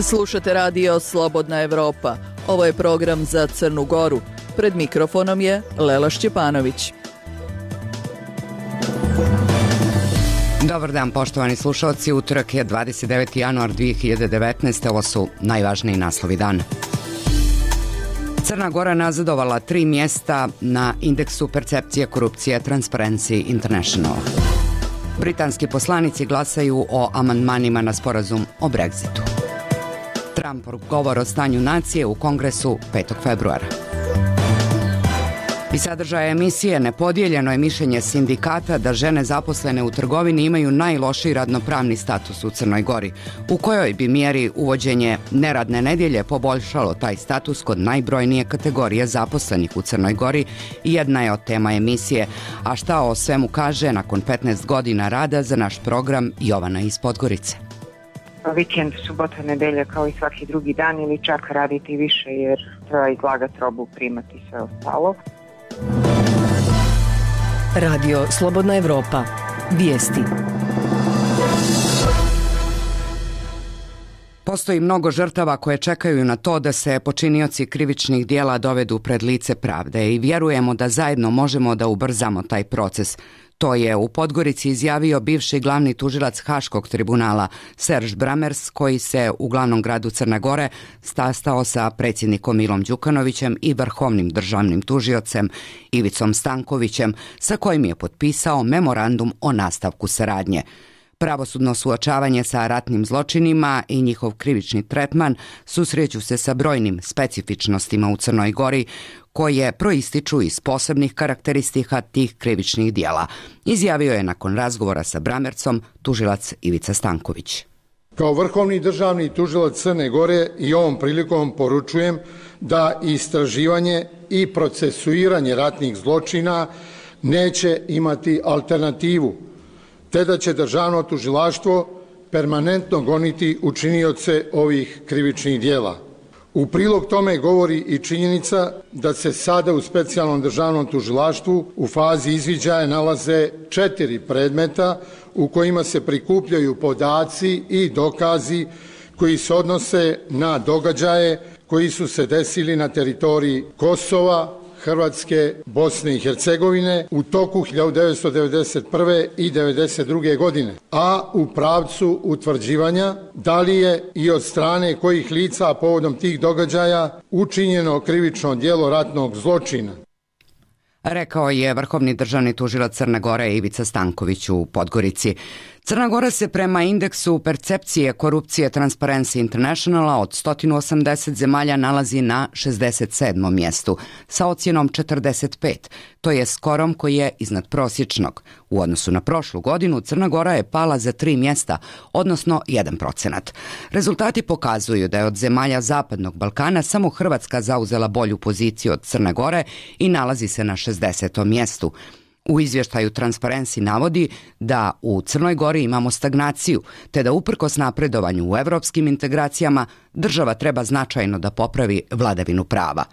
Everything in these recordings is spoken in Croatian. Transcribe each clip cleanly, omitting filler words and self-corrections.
Slušate radio Slobodna Evropa. Ovo je program za Crnu Goru. Pred mikrofonom je Lela Šćepanović. Dobar dan, poštovani slušalci. Utorak je 29. januar 2019. Ovo su najvažniji naslovi dana. Crna Gora nazadovala 3 mjesta na indeksu percepcije korupcije Transparency International. Britanski poslanici glasaju o amandmanima na sporazum o Brexitu. Trumpov govor o stanju nacije u Kongresu 5. februara. I sadržaja emisije nepodijeljeno je mišljenje sindikata da žene zaposlene u trgovini imaju najlošiji radnopravni status u Crnoj Gori. U kojoj bi mjeri uvođenje neradne nedjelje poboljšalo taj status kod najbrojnije kategorije zaposlenih u Crnoj Gori, jedna je od tema emisije. A šta o svemu kaže nakon 15 godina rada za naš program Jovana iz Podgorice. Vikend, subota, nedelja kao i svaki drugi dan ili čak raditi više jer treba izlagati robu, primati sve ostalo. Radio Slobodna Evropa. Vijesti. Postoji mnogo žrtava koje čekaju na to da se počinioci krivičnih dijela dovedu pred lice pravde i vjerujemo da zajedno možemo da ubrzamo taj proces. To je u Podgorici izjavio bivši glavni tužilac Haškog tribunala Serž Bramers, koji se u glavnom gradu Crne Gore sastao sa predsjednikom Milom Đukanovićem i vrhovnim državnim tužiocem Ivicom Stankovićem, sa kojim je potpisao memorandum o nastavku saradnje. Pravosudno suočavanje sa ratnim zločinima i njihov krivični tretman susreću se sa brojnim specifičnostima u Crnoj Gori koje proističu iz posebnih karakteristika tih krivičnih dijela, izjavio je nakon razgovora sa Bramercom tužilac Ivica Stanković. Kao vrhovni državni tužilac Crne Gore i ovom prilikom poručujem da istraživanje i procesuiranje ratnih zločina neće imati alternativu, te da će državno tužilaštvo permanentno goniti učinioce ovih krivičnih dijela. U prilog tome govori i činjenica da se sada u specijalnom državnom tužilaštvu u fazi izviđaja nalaze 4 predmeta u kojima se prikupljaju podaci i dokazi koji se odnose na događaje koji su se desili na teritoriji Kosova, Hrvatske, Bosne i Hercegovine u toku 1991. i 1992. godine, a u pravcu utvrđivanja da li je i od strane kojih lica povodom tih događaja učinjeno krivično djelo ratnog zločina. Rekao je vrhovni državni tužilac Crne Gore Ivica Stanković u Podgorici. Crna Gora se prema indeksu percepcije korupcije Transparency Internationala od 180 zemalja nalazi na 67. mjestu sa ocjenom 45, to je skorom koji je iznad prosječnog. U odnosu na prošlu godinu Crna Gora je pala za 3 mjesta, odnosno 1%. Rezultati pokazuju da je od zemalja Zapadnog Balkana samo Hrvatska zauzela bolju poziciju od Crne Gore i nalazi se na 60. mjestu. U izvještaju Transparency navodi da u Crnoj Gori imamo stagnaciju, te da uprkos napredovanju u evropskim integracijama država treba značajno da popravi vladavinu prava.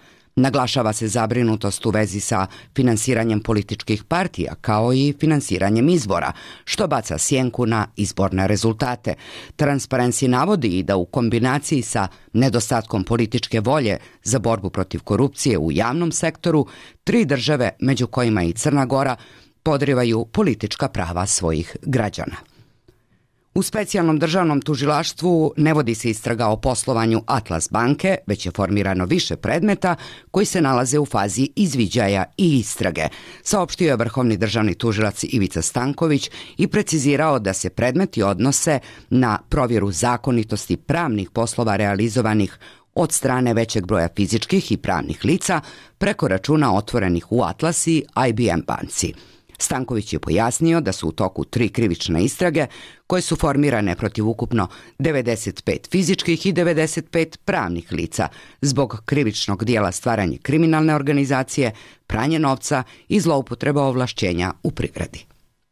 Naglašava se zabrinutost u vezi sa finansiranjem političkih partija, kao i finansiranjem izbora, što baca sjenku na izborne rezultate. Transparency navodi i da u kombinaciji sa nedostatkom političke volje za borbu protiv korupcije u javnom sektoru, 3 države, među kojima i Crna Gora, podrivaju politička prava svojih građana. U specijalnom državnom tužilaštvu ne vodi se istraga o poslovanju Atlas banke, već je formirano više predmeta koji se nalaze u fazi izviđaja i istrage, saopštio je vrhovni državni tužilac Ivica Stanković i precizirao da se predmeti odnose na provjeru zakonitosti pravnih poslova realizovanih od strane većeg broja fizičkih i pravnih lica preko računa otvorenih u Atlas i IBM banci. Stanković je pojasnio da su u toku 3 krivične istrage koje su formirane protiv ukupno 95 fizičkih i 95 pravnih lica zbog krivičnog dijela stvaranje kriminalne organizacije, pranje novca i zloupotreba ovlašćenja u privredi.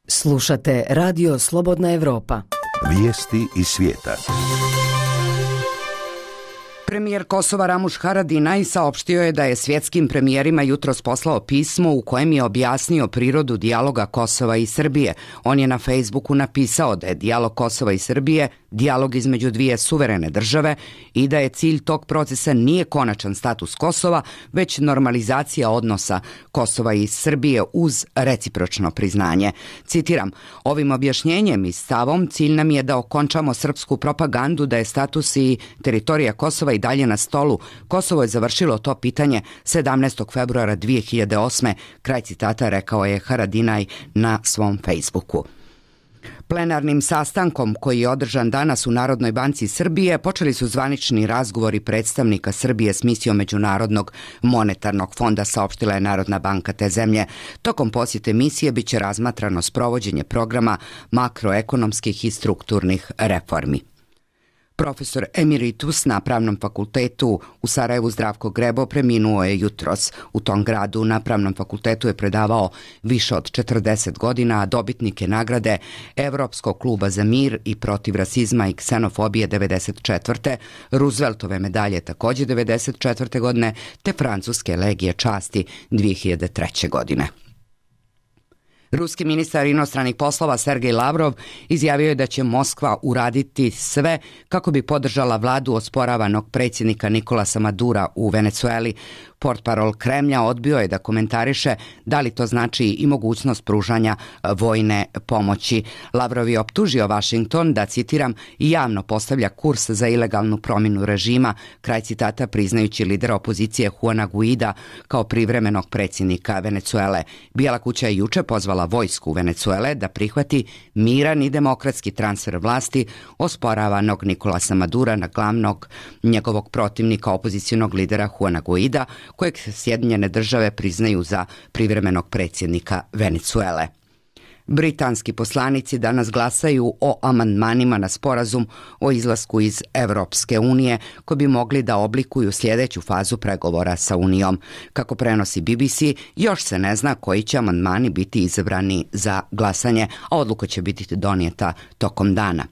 Slušate Radio Slobodna Evropa. Vijesti iz svijeta. Premijer Kosova Ramuš Haradinaj saopštio je da je svjetskim premijerima jutros poslao pismo u kojem je objasnio prirodu dijaloga Kosova i Srbije. On je na Facebooku napisao da je dijalog Kosova i Srbije dijalog između dvije suverene države i da je cilj tog procesa nije konačan status Kosova, već normalizacija odnosa Kosova i Srbije uz recipročno priznanje. Citiram, ovim objašnjenjem i stavom cilj nam je da okončamo srpsku propagandu da je status i teritorija Kosova i dalje na stolu. Kosovo je završilo to pitanje 17. februara 2008. Kraj citata, rekao je Haradinaj na svom Facebooku. Plenarnim sastankom koji je održan danas u Narodnoj banci Srbije počeli su zvanični razgovori predstavnika Srbije s misijom Međunarodnog monetarnog fonda, saopštila je Narodna banka te zemlje. Tokom posjete misije biće razmatrano sprovođenje programa makroekonomskih i strukturnih reformi. Profesor emeritus na Pravnom fakultetu u Sarajevu Zdravko Grebo preminuo je jutros. U tom gradu na Pravnom fakultetu je predavao više od 40 godina, a dobitnik je nagrade Evropskog kluba za mir i protiv rasizma i ksenofobije 1994. Rooseveltove medalje također 1994. godine, te Francuske legije časti 2003. godine. Ruski ministar inostranih poslova Sergej Lavrov izjavio je da će Moskva uraditi sve kako bi podržala vladu osporavanog predsjednika Nikolasa Madura u Venecueli. Portparol Kremlja odbio je da komentariše da li to znači i mogućnost pružanja vojne pomoći. Lavrov je optužio Washington da, citiram, javno postavlja kurs za ilegalnu promjenu režima, kraj citata, priznajući lidera opozicije Juana Guaida kao privremenog predsjednika Venecuele. Bijela kuća je juče pozvala vojsku Venecuele da prihvati miran i demokratski transfer vlasti osporavanog Nikolasa Madura na glavnog njegovog protivnika, opozicionog lidera Juana Guaida, kojeg Sjedinjene države priznaju za privremenog predsjednika Venecuele. Britanski poslanici danas glasaju o amandmanima na sporazum o izlasku iz Europske unije, koji bi mogli da oblikuju sljedeću fazu pregovora sa Unijom. Kako prenosi BBC, još se ne zna koji će amandmani biti izabrani za glasanje, a odluka će biti donijeta tokom dana.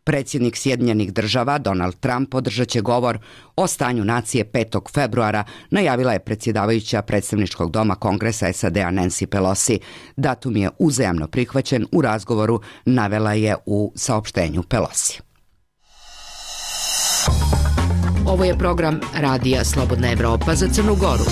Predsjednik Sjedinjenih država Donald Trump održat će govor o stanju nacije 5. februara, najavila je predsjedavajuća predstavničkog doma Kongresa SAD-a Nancy Pelosi. Datum je uzajamno prihvaćen u razgovoru, navela je u saopštenju Pelosi. Ovo je program Radija Slobodna Evropa za Crnu Goru.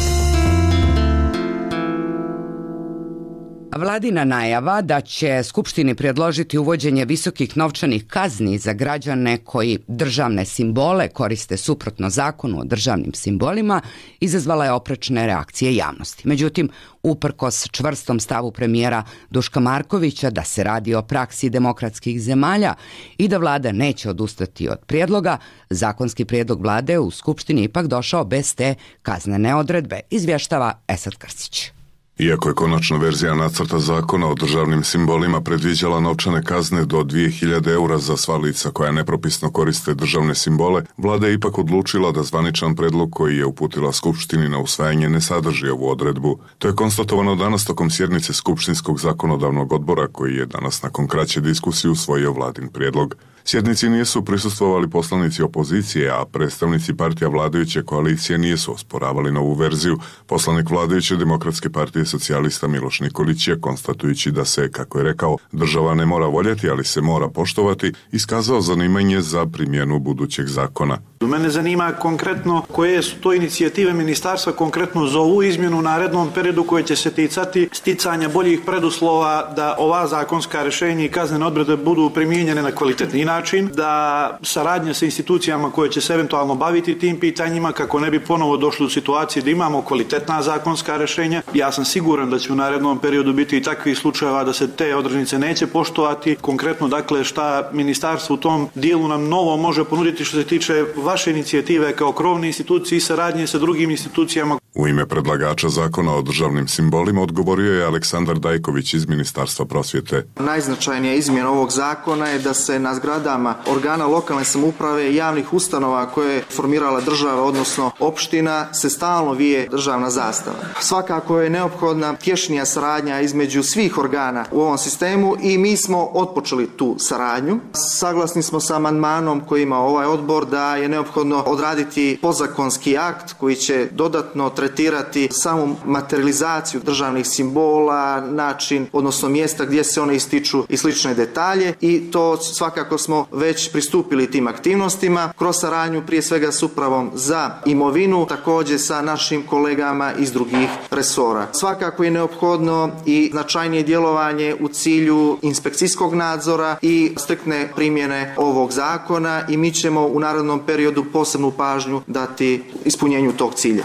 Vladina najava da će Skupštini predložiti uvođenje visokih novčanih kazni za građane koji državne simbole koriste suprotno zakonu o državnim simbolima izazvala je oprečne reakcije javnosti. Međutim, uprkos čvrstom stavu premijera Duška Markovića da se radi o praksi demokratskih zemalja i da vlada neće odustati od prijedloga, zakonski prijedlog vlade u Skupštini ipak došao bez te kaznene odredbe, izvještava Esad Krstić. Iako je konačna verzija nacrta zakona o državnim simbolima predviđala novčane kazne do 2000 eura za sva lica koja nepropisno koriste državne simbole, vlada je ipak odlučila da zvaničan predlog koji je uputila Skupštini na usvajanje ne sadrži ovu odredbu. To je konstatovano danas tokom sjednice Skupštinskog zakonodavnog odbora koji je danas nakon kraće diskusije usvojio vladin prijedlog. Sjednici nisu prisustvovali poslanici opozicije, a predstavnici partija vladajuće koalicije nisu osporavali novu verziju. Poslanik vladajuće Demokratske partije socijalista Miloš Nikolić je, konstatujući da se, kako je rekao, država ne mora voljeti, ali se mora poštovati, iskazao zanimanje za primjenu budućeg zakona. Mene zanima konkretno koje su to inicijative ministarstva konkretno za ovu izmjenu u narednom periodu koje će se ticati sticanja boljih preduslova da ova zakonska rješenja i kaznene odredbe budu primijenjene na kvalitetni način, da saradnja sa institucijama koje će se eventualno baviti tim pitanjima kako ne bi ponovo došli u situaciji da imamo kvalitetna zakonska rješenja. Ja sam siguran da će u narednom periodu biti i takvih slučajeva da se te odrednice neće poštovati. Konkretno, dakle, šta ministarstvo u tom dijelu nam novo može ponuditi što se tiče vaše inicijative kao krovne institucije i saradnje sa drugim institucijama. U ime predlagača zakona o državnim simbolima odgovorio je Aleksandar Dajković iz Ministarstva prosvjete. Najznačajnija izmjena ovog zakona je da se na zgradama organa lokalne samouprave i javnih ustanova koje je formirala država, odnosno opština, se stalno vije državna zastava. Svakako je neophodna tješnija saradnja između svih organa u ovom sistemu i mi smo otpočeli tu saradnju. Saglasni smo sa amandmanom koji ima ovaj odbor da je neophodno odraditi podzakonski akt koji će dodatno tretirati samu materializaciju državnih simbola, način, odnosno mjesta gdje se one ističu i slične detalje, i to svakako smo već pristupili tim aktivnostima kroz saradnju prije svega s upravom za imovinu, također sa našim kolegama iz drugih resora. Svakako je neophodno i značajnije djelovanje u cilju inspekcijskog nadzora i striktne primjene ovog zakona, i mi ćemo u narednom periodu posebnu pažnju dati ispunjenju tog cilja.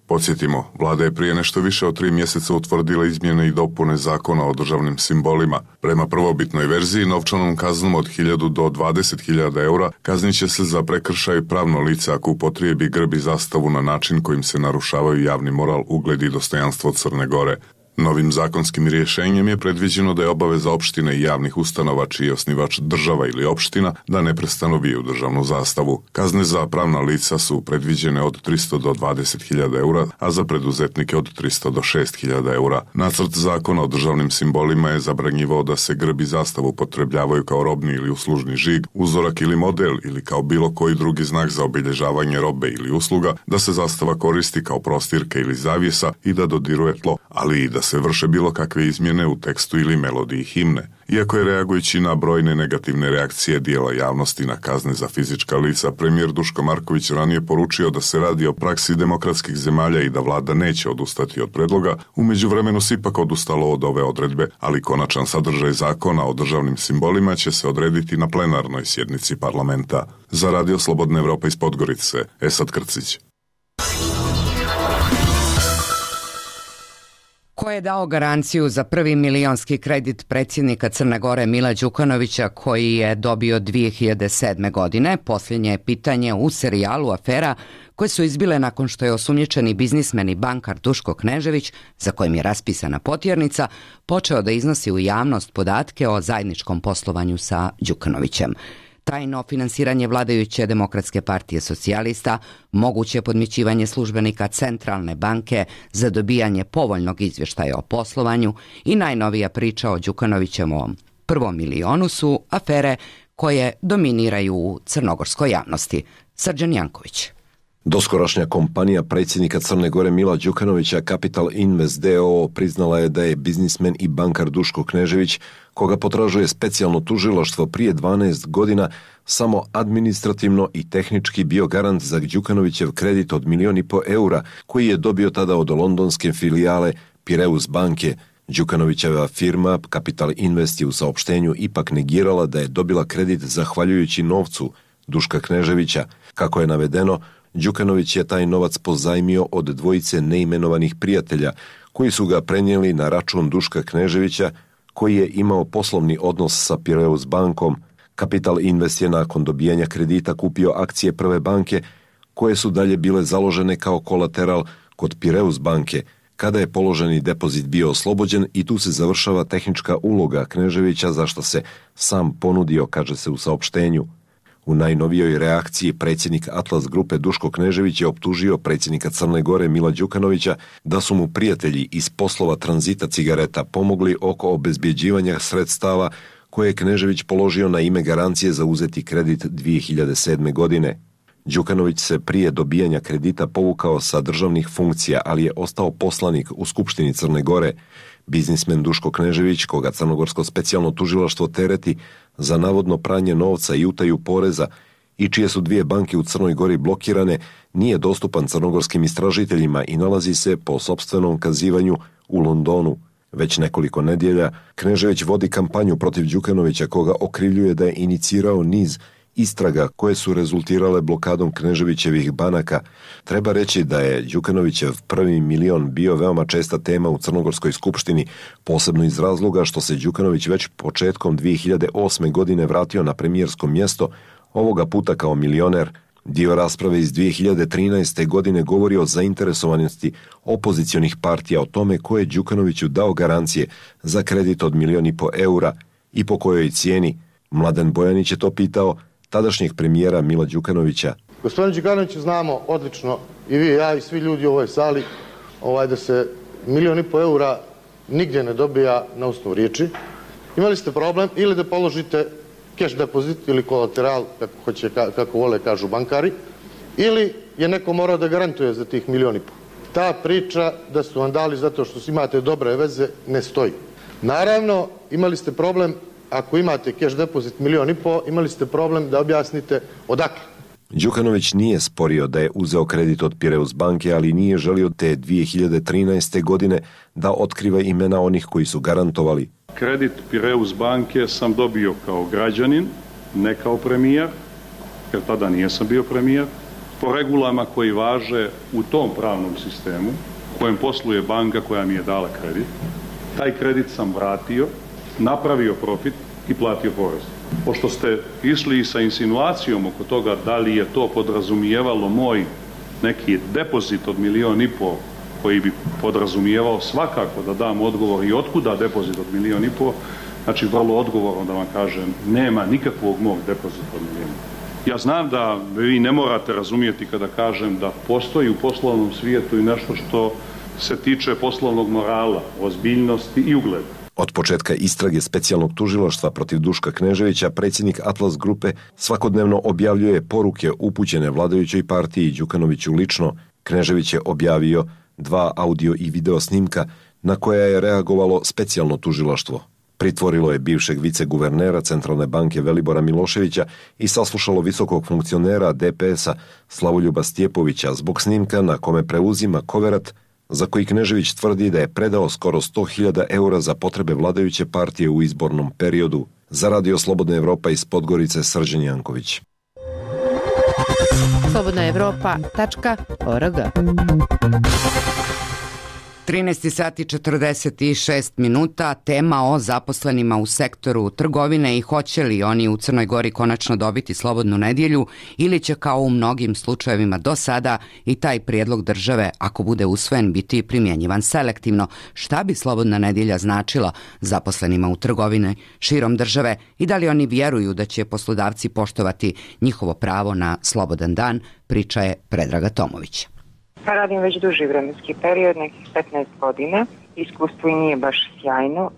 Podsjetimo, vlada je prije nešto više od 3 mjeseca utvrdila izmjene i dopune zakona o državnim simbolima. Prema prvobitnoj verziji, novčanom kaznom od 1.000 do 20.000 eura kaznit će se za prekršaj pravno lice ako upotrijebi grb i zastavu na način kojim se narušavaju javni moral, ugled i dostojanstvo Crne Gore. Novim zakonskim rješenjem je predviđeno da je obaveza opštine i javnih ustanova čiji je osnivač država ili opština da neprestano viju državnu zastavu. Kazne za pravna lica su predviđene od 300 do 20.000 eura, a za preduzetnike od 300 do 6.000 eura. Nacrt zakona o državnim simbolima je zabranjivao da se grb i zastavu upotrebljavaju kao robni ili uslužni žig, uzorak ili model ili kao bilo koji drugi znak za obilježavanje robe ili usluga, da se zastava koristi kao prostirka ili zavjesa i da dodiruje tlo, ali i da se vrše bilo kakve izmjene u tekstu ili melodiji himne. Iako je reagujući na brojne negativne reakcije dijela javnosti na kazne za fizička lica, premijer Duško Marković ranije poručio da se radi o praksi demokratskih zemalja i da vlada neće odustati od predloga, u međuvremenu se ipak odustalo od ove odredbe, ali konačan sadržaj zakona o državnim simbolima će se odrediti na plenarnoj sjednici parlamenta. Za Radio Slobodna Evropa iz Podgorice, Esad Krcić. Ko je dao garanciju za prvi milionski kredit predsjednika Crne Gore Mila Đukanovića koji je dobio 2007. godine? Posljednje je pitanje u serijalu afera koje su izbile nakon što je osumnjičeni biznismen i bankar Duško Knežević, za kojim je raspisana potjernica, počeo da iznosi u javnost podatke o zajedničkom poslovanju sa Đukanovićem. Tajno finansiranje vladajuće Demokratske partije socijalista, moguće podmićivanje službenika Centralne banke za dobijanje povoljnog izvještaja o poslovanju i najnovija priča o Đukanovićevom prvom milionu su afere koje dominiraju u crnogorskoj javnosti. Srđan Janković. Doskorašnja kompanija predsjednika Crne Gore Mila Đukanovića Capital Invest d.o.o. priznala je da je biznismen i bankar Duško Knežević, koga potražuje specijalno tužilaštvo prije 12 godina, samo administrativno i tehnički bio garant za Đukanovićev kredit od 1,5 milijuna eura koji je dobio tada od londonske filijale Piraeus banke. Đukanovićeva firma Capital Invest je u saopštenju ipak negirala da je dobila kredit zahvaljujući novcu Duška Kneževića. Kako je navedeno, Đukanović je taj novac pozajmio od dvojice neimenovanih prijatelja koji su ga prenijeli na račun Duška Kneževića koji je imao poslovni odnos sa Piraeus bankom. Capital Invest je nakon dobijanja kredita kupio akcije Prve banke koje su dalje bile založene kao kolateral kod Piraeus banke. Kada je položeni depozit bio oslobođen i tu se završava tehnička uloga Kneževića za što se sam ponudio, kaže se u saopštenju. U najnovijoj reakciji predsjednik Atlas grupe Duško Knežević je optužio predsjednika Crne Gore Mila Đukanovića da su mu prijatelji iz poslova tranzita cigareta pomogli oko obezbjeđivanja sredstava koje je Knežević položio na ime garancije za uzeti kredit 2007. godine. Đukanović se prije dobijanja kredita povukao sa državnih funkcija, ali je ostao poslanik u Skupštini Crne Gore. Biznismen Duško Knežević, koga crnogorsko specijalno tužilaštvo tereti za navodno pranje novca i utaju poreza i čije su 2 banke u Crnoj Gori blokirane, nije dostupan crnogorskim istražiteljima i nalazi se po sopstvenom kazivanju u Londonu. Već nekoliko nedjelja Knežević vodi kampanju protiv Đukanovića, koga okrivljuje da je inicirao niz istraga koje su rezultirale blokadom Kneževićevih banaka. Treba reći da je Đukanovićev prvi milion bio veoma česta tema u Crnogorskoj skupštini, posebno iz razloga što se Đukanović već početkom 2008. godine vratio na premijersko mjesto, ovoga puta kao milioner, Dio rasprave iz 2013. godine govori o zainteresovanosti opozicionih partija o tome ko je Đukanoviću dao garancije za kredit od 1,5 miliona eura i po kojoj cijeni. Mladen Bojanić je to pitao tadašnjeg premijera Mila Đukanovića. Gospodin Đukanović, znamo odlično i vi, ja i svi ljudi u ovoj sali da se 1,5 miliona eura nigdje ne dobija na osnovu riječi. Imali ste problem ili da položite cash depozit ili kolateral, kako vole kažu bankari, ili je neko morao da garantuje za tih 1,5 miliona. Ta priča da su vam dali zato što imate dobre veze ne stoji. Naravno, imali ste problem, ako imate cash depozit 1,5 miliona, imali ste problem da objasnite odakle. Đukanović nije sporio da je uzeo kredit od Pireus banke, ali nije želio te 2013. godine da otkriva imena onih koji su garantovali. Kredit Pireus banke sam dobio kao građanin, ne kao premijer, jer tada nisam bio premijer, po regulama koji važe u tom pravnom sistemu, u kojem posluje banka koja mi je dala kredit. Taj kredit sam vratio, napravio profit i platio porez. Pošto ste išli sa insinuacijom oko toga da li je to podrazumijevalo moj neki depozit od 1,5 miliona koji bi podrazumijevao svakako da dam odgovor i otkuda depozit od 1,5 miliona, znači vrlo odgovorno da vam kažem, nema nikakvog mog depozita od 1 miliona. Ja znam da vi ne morate razumijeti kada kažem da postoji u poslovnom svijetu i nešto što se tiče poslovnog morala, ozbiljnosti i ugleda. Od početka istrage specijalnog tužilaštva protiv Duška Kneževića, predsjednik Atlas grupe svakodnevno objavljuje poruke upućene vladajućoj partiji i Đukanoviću lično. Knežević je objavio 2 audio i video snimka na koja je reagovalo specijalno tužilaštvo. Pritvorilo je bivšeg viceguvernera Centralne banke Velibora Miloševića i saslušalo visokog funkcionera DPS-a Slavoljuba Stjepovića zbog snimka na kome preuzima koverat za koji Knežević tvrdi da je predao skoro 100.000 eura za potrebe vladajuće partije u izbornom periodu. Za Radio Slobodna Evropa iz Podgorice, Srđan Janković. slobodnaevropa.org 13 sati 46 minuta, tema o zaposlenima u sektoru trgovine i hoće li oni u Crnoj Gori konačno dobiti slobodnu nedjelju ili će kao u mnogim slučajevima do sada i taj prijedlog države, ako bude usvojen, biti primjenjivan selektivno. Šta bi slobodna nedjelja značila zaposlenima u trgovine širom države i da li oni vjeruju da će poslodavci poštovati njihovo pravo na slobodan dan, priča je Predraga Tomović. Pa radim već duži vremenski period, nekih 15 godina. Iskustvo i nije baš sjajno,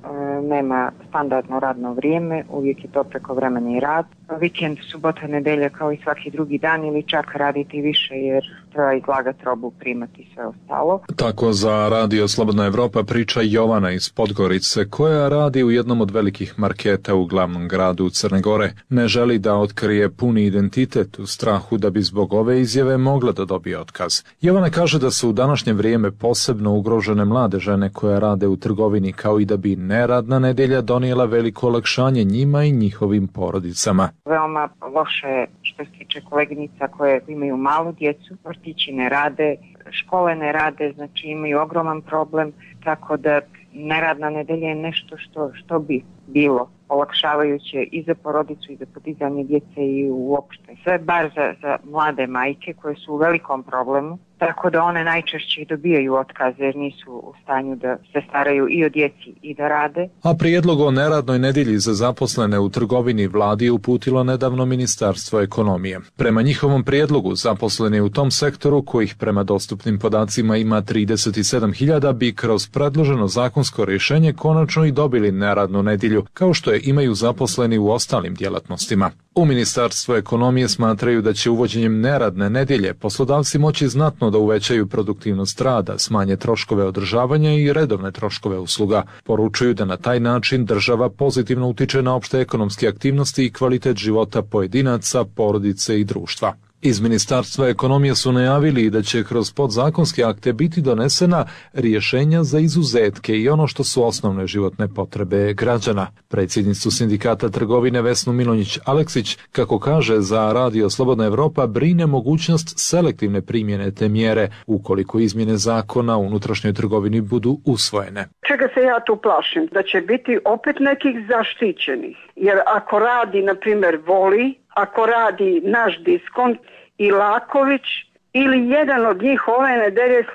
nema standardno radno vrijeme, uvijek je to prekovremeni rad. Vikend, subota, nedelja kao i svaki drugi dan ili čak raditi više jer treba izlagati robu, primati sve ostalo. Tako za Radio Slobodna Evropa priča Jovana iz Podgorice koja radi u jednom od velikih marketa u glavnom gradu Crne Gore. Ne želi da otkrije puni identitet u strahu da bi zbog ove izjave mogla da dobije otkaz. Jovana kaže da su u današnje vrijeme posebno ugrožene mlade žene koje rade u trgovini, kao i da bi neradna nedjelja donijela veliko olakšanje njima i njihovim porodicama. Veoma loše je što se tiče koleginica koje imaju malu djecu, vrtići ne rade, škole ne rade, znači imaju ogroman problem, tako da neradna nedjelja je nešto što bi bilo olakšavajuće i za porodicu i za podizanje djece i uopšte. Sve bar za mlade majke koje su u velikom problemu, tako da one najčešće i dobijaju otkaze jer nisu u stanju da se staraju i o djeci i da rade. A prijedlog o neradnoj nedjelji za zaposlene u trgovini vladi je uputilo nedavno Ministarstvo ekonomije. Prema njihovom prijedlogu zaposleni u tom sektoru, kojih prema dostupnim podacima ima 37.000, bi kroz predloženo zakonsko rješenje konačno i dobili neradnu nedjelju, kao što je imaju zaposleni u ostalim djelatnostima. U Ministarstvu ekonomije smatraju da će uvođenjem neradne nedjelje poslodavci moći znatno da uvećaju produktivnost rada, smanje troškove održavanja i redovne troškove usluga. Poručuju da na taj način država pozitivno utiče na opšte ekonomske aktivnosti i kvalitet života pojedinaca, porodice i društva. Iz Ministarstva ekonomije su najavili da će kroz podzakonske akte biti donesena rješenja za izuzetke i ono što su osnovne životne potrebe građana. Predsjednicu Sindikata trgovine Vesnu Milonjić-Aleksić, kako kaže za Radio Slobodna Evropa, brine mogućnost selektivne primjene te mjere ukoliko izmjene zakona u unutrašnjoj trgovini budu usvojene. Čega se ja tu plašim? Da će biti opet nekih zaštićenih. Jer ako radi, na primjer, Voli, ako radi naš diskont i Laković ili jedan od njih ove nedelje,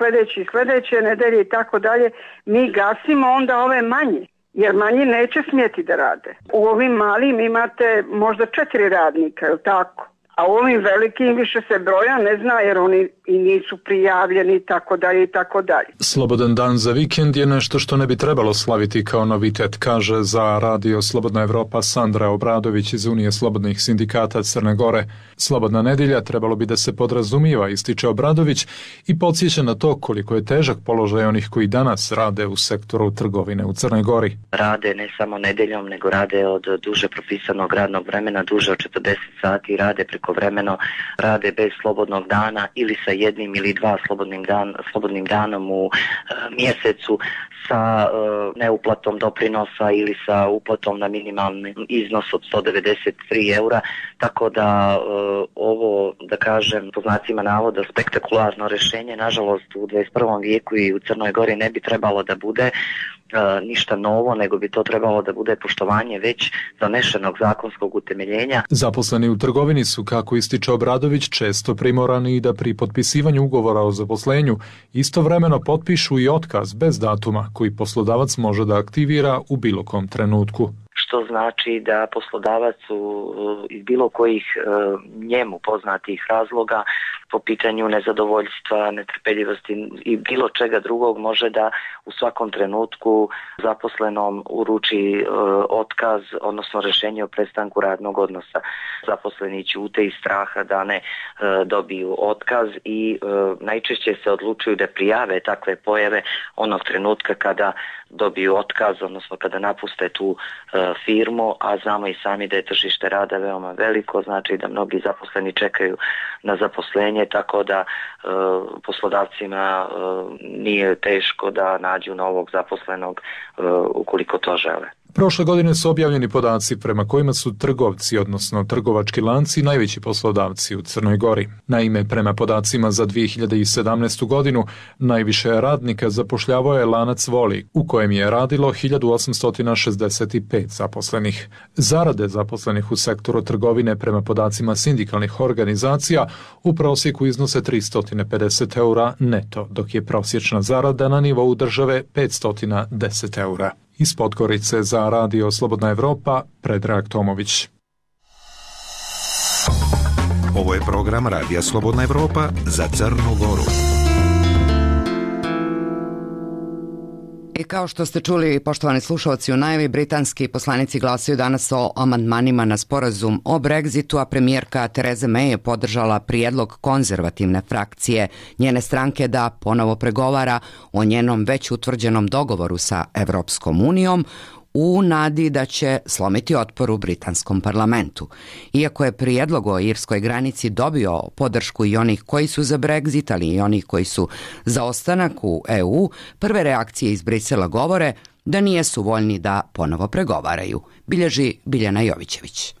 sljedeće nedelje i tako dalje, mi gasimo onda ove manje. Jer manji neće smjeti da rade. U ovim malim imate možda 4 radnika, je li tako? A u ovim velikim više se broja ne zna jer oni i nisu prijavljeni i tako dalje i tako dalje. Slobodan dan za vikend je nešto što ne bi trebalo slaviti kao novitet, kaže za Radio Slobodna Evropa Sandra Obradović iz Unije slobodnih sindikata Crne Gore. Slobodna nedjelja trebalo bi da se podrazumijeva, ističe Obradović i podsjeća na to koliko je težak položaj onih koji danas rade u sektoru trgovine u Crnoj Gori. Rade ne samo nedjeljom, nego rade od duže propisanog radnog vremena, duže od 40 sati, rade prekovremeno, rade bez slobodnog dana ili sa jednim ili dva slobodnim danom u mjesecu, sa neuplatom doprinosa ili sa uplatom na minimalni iznos od 193 eura, tako da ovo, da kažem, po znacima navoda, spektakularno rješenje, nažalost u 21. vijeku i u Crnoj Gori ne bi trebalo da bude ništa novo, nego bi to trebalo da bude poštovanje već donešenog zakonskog utemeljenja. Zaposleni u trgovini su, kako ističe Obradović, često primorani i da pri potpisivanju ugovora o zaposlenju istovremeno potpišu i otkaz bez datuma koji poslodavac može da aktivira u bilo kom trenutku. Što znači da poslodavac iz bilo kojih njemu poznatih razloga po pitanju nezadovoljstva, netrpeljivosti i bilo čega drugog može da u svakom trenutku zaposlenom uruči otkaz, odnosno rješenje o prestanku radnog odnosa. Zaposleni ćute iz straha da ne dobiju otkaz i najčešće se odlučuju da prijave takve pojave onog trenutka kada dobiju otkaz, odnosno kada napuste tu firmu, a znamo i sami da je tržište rada veoma veliko, znači da mnogi zaposleni čekaju na zaposlenje, tako da poslodavcima nije teško da nađu novog zaposlenog ukoliko to žele. Prošle godine su objavljeni podaci prema kojima su trgovci, odnosno trgovački lanci, najveći poslodavci u Crnoj Gori. Naime, prema podacima za 2017. godinu, najviše radnika zapošljavao je lanac Voli, u kojem je radilo 1865 zaposlenih. Zarade zaposlenih u sektoru trgovine prema podacima sindikalnih organizacija u prosjeku iznose 350 eura neto, dok je prosječna zarada na nivou države 510 eura. Iz Podgorice za Radio Slobodna Evropa, Predrag Tomović. Ovo je program Radija Slobodna Evropa za Crnu Goru. I kao što ste čuli, poštovani slušalci, u najavi britanski poslanici glasaju danas o amandmanima na sporazum o Brexitu, a premijerka Theresa May je podržala prijedlog konzervativne frakcije njene stranke da ponovo pregovara o njenom već utvrđenom dogovoru sa Evropskom unijom u nadi da će slomiti otpor u britanskom parlamentu. Iako je prijedlog o irskoj granici dobio podršku i onih koji su za Brexit, ali i onih koji su za ostanak u EU, prve reakcije iz Brisela govore da nijesu voljni da ponovo pregovaraju, bilježi Biljana Jovićević.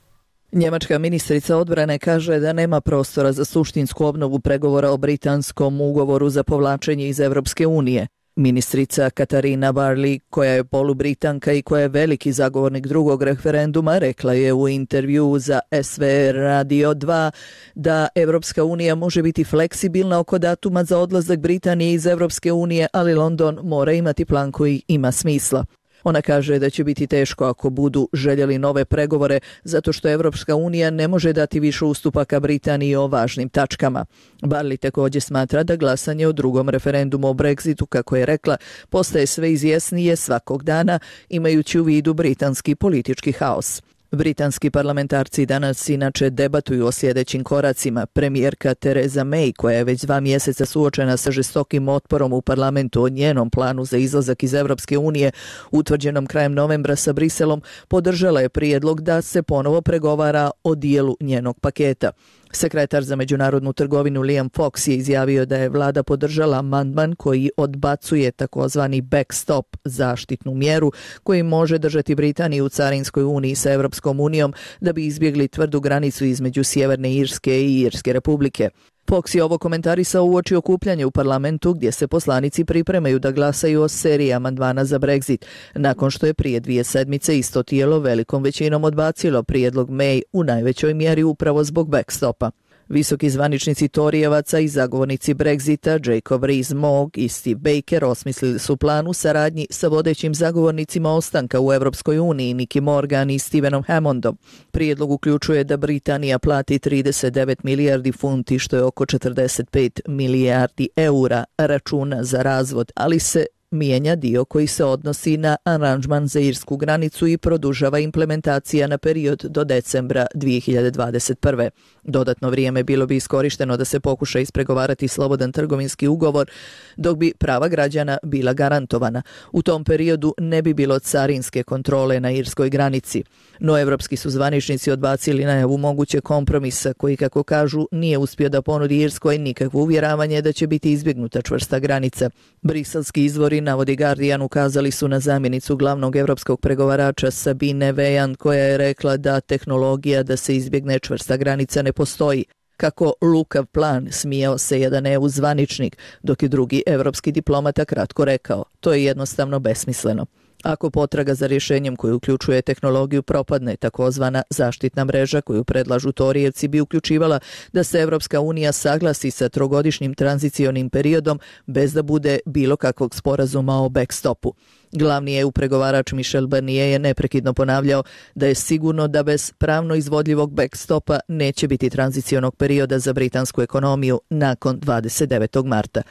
Njemačka ministrica odbrane kaže da nema prostora za suštinsku obnovu pregovora o britanskom ugovoru za povlačenje iz Evropske unije. Ministrica Katarina Barley, koja je polubritanka i koja je veliki zagovornik drugog referenduma, rekla je u intervju za SVR Radio 2 da Evropska unija može biti fleksibilna oko datuma za odlazak Britanije iz Evropske unije, ali London mora imati plan koji ima smisla. Ona kaže da će biti teško ako budu željeli nove pregovore, zato što Evropska unija ne može dati više ustupaka Britaniji o važnim tačkama. Barley također smatra da glasanje o drugom referendumu o Brexitu, kako je rekla, postaje sve izjasnije svakog dana, imajući u vidu britanski politički haos. Britanski parlamentarci danas inače debatuju o sljedećim koracima. Premijerka Theresa May, koja je već 2 mjeseca suočena sa žestokim otporom u parlamentu o njenom planu za izlazak iz Evropske unije, utvrđenom krajem novembra sa Briselom, podržala je prijedlog da se ponovo pregovara o dijelu njenog paketa. Sekretar za međunarodnu trgovinu Liam Fox je izjavio da je vlada podržala amandman koji odbacuje takozvani backstop, zaštitnu mjeru koji može držati Britaniju u carinskoj uniji sa Evropskom unijom da bi izbjegli tvrdu granicu između Sjeverne Irske i Irske republike. Fox je ovo komentarisao uoči okupljanja u parlamentu gdje se poslanici pripremaju da glasaju o seriji amandmana za Brexit, nakon što je prije 2 sedmice isto tijelo velikom većinom odbacilo prijedlog May u najvećoj mjeri upravo zbog backstopa. Visoki zvaničnici Torijevaca i zagovornici Brexita Jacob Rees-Mogg i Steve Baker osmislili su plan u saradnji sa vodećim zagovornicima ostanka u Europskoj uniji Nicky Morgan i Stevenom Hammondom. Prijedlog uključuje da Britanija plati 39 milijardi funti, što je oko 45 milijardi eura računa za razvod, ali se mijenja dio koji se odnosi na aranžman za irsku granicu i produžava implementacija na period do decembra 2021. Dodatno vrijeme bilo bi iskorišteno da se pokuša ispregovarati slobodan trgovinski ugovor, dok bi prava građana bila garantovana. U tom periodu ne bi bilo carinske kontrole na irskoj granici. No evropski su zvaničnici odbacili najavu mogućeg kompromisa koji, kako kažu, nije uspio da ponudi Irskoj nikakvo uvjeravanje da će biti izbjegnuta čvrsta granica. Briselski izvori, navodi Guardian, ukazali su na zamjenicu glavnog evropskog pregovarača Sabine Vejand, koja je rekla da tehnologija da se izbjegne čvrsta granica ne postoji. Kako lukav plan, smijao se jedan EU zvaničnik, dok je drugi evropski diplomata kratko rekao: to je jednostavno besmisleno. Ako potraga za rješenjem koji uključuje tehnologiju propadne, takozvana zaštitna mreža koju predlažu Torijevci bi uključivala da se Evropska unija saglasi sa trogodišnjim tranzicionim periodom bez da bude bilo kakvog sporazuma o backstopu. Glavni EU pregovarač Michel Barnier je neprekidno ponavljao da je sigurno da bez pravno izvodljivog backstopa neće biti tranzicionog perioda za britansku ekonomiju nakon 29. marta.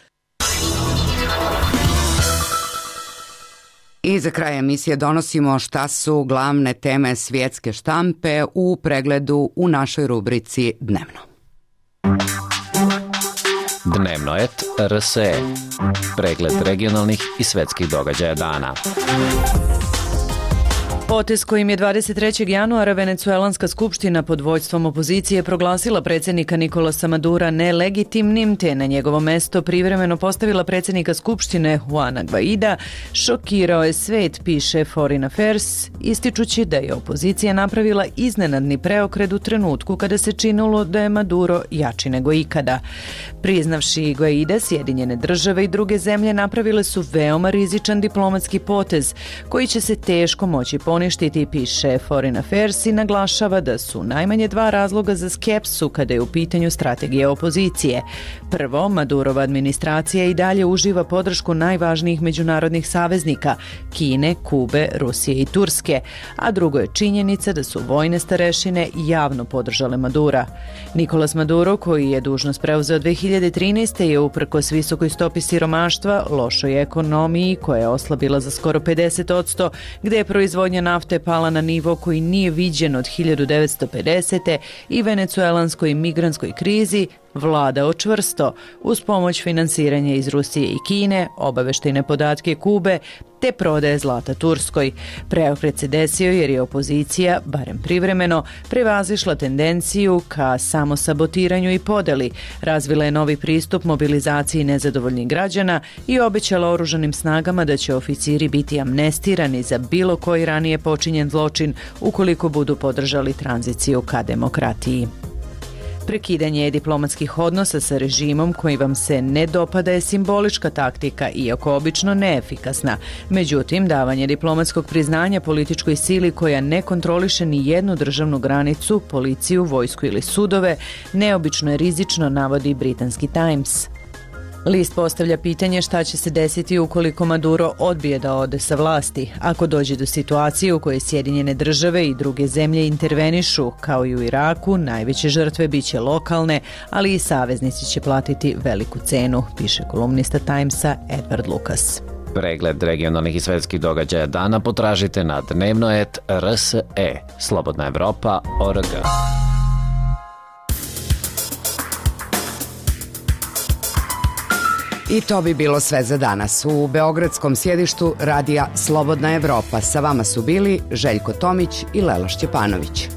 I za kraj emisije donosimo šta su glavne teme svjetske štampe u pregledu u našoj rubrici Dnevno. Dnevno et RSE. Pregled regionalnih i svetskih događaja dana. Potez kojim je 23. januara Venecuelanska skupština pod vođstvom opozicije proglasila predsjednika Nicolasa Madura nelegitimnim, te na njegovo mesto privremeno postavila predsjednika skupštine Juana Guaida, šokirao je svet, piše Foreign Affairs, ističući da je opozicija napravila iznenadni preokret u trenutku kada se činilo da je Maduro jači nego ikada. Priznavši Guaida, Sjedinjene države i druge zemlje napravile su veoma rizičan diplomatski potez koji će se teško moći poništiti, piše Foreign Affairs, i naglašava da su najmanje dva razloga za skepsu kada je u pitanju strategije opozicije. Prvo, Madurova administracija i dalje uživa podršku najvažnijih međunarodnih saveznika Kine, Kube, Rusije i Turske, a drugo je činjenica da su vojne starešine javno podržale Madura. Nicolas Maduro, koji je dužnost preuzeo 2013. je uprkos visokoj stopi siromaštva, lošoj ekonomiji koja je oslabila za skoro 50%, gde je proizvodnja nafte pala na nivo koji nije viđen od 1950. i venecuelanskoj migrantskoj krizi, vladao čvrsto uz pomoć finansiranja iz Rusije i Kine, obaveštajne podatke Kube te prodaje zlata Turskoj. Preokret se desio jer je opozicija, barem privremeno, prevazišla tendenciju ka samosabotiranju i podeli, razvila je novi pristup mobilizaciji nezadovoljnih građana i obećala oružanim snagama da će oficiri biti amnestirani za bilo koji ranije počinjen zločin ukoliko budu podržali tranziciju ka demokratiji. Prekidanje diplomatskih odnosa sa režimom koji vam se ne dopada je simbolička taktika, iako obično neefikasna. Međutim, davanje diplomatskog priznanja političkoj sili koja ne kontroliše ni jednu državnu granicu, policiju, vojsku ili sudove, neobično je rizično, navodi britanski Times. List postavlja pitanje šta će se desiti ukoliko Maduro odbije da ode sa vlasti. Ako dođe do situacije u kojoj Sjedinjene države i druge zemlje intervenišu, kao i u Iraku, najveće žrtve biće lokalne, ali i saveznici će platiti veliku cenu, piše kolumnista Timesa Edward Lucas. Pregled regionalnih i svetskih događaja dana potražite na dnevno.rse. Slobodna Evropa.org. I to bi bilo sve za danas. U beogradskom sjedištu radija Slobodna Evropa sa vama su bili Željko Tomić i Lela Šćepanović.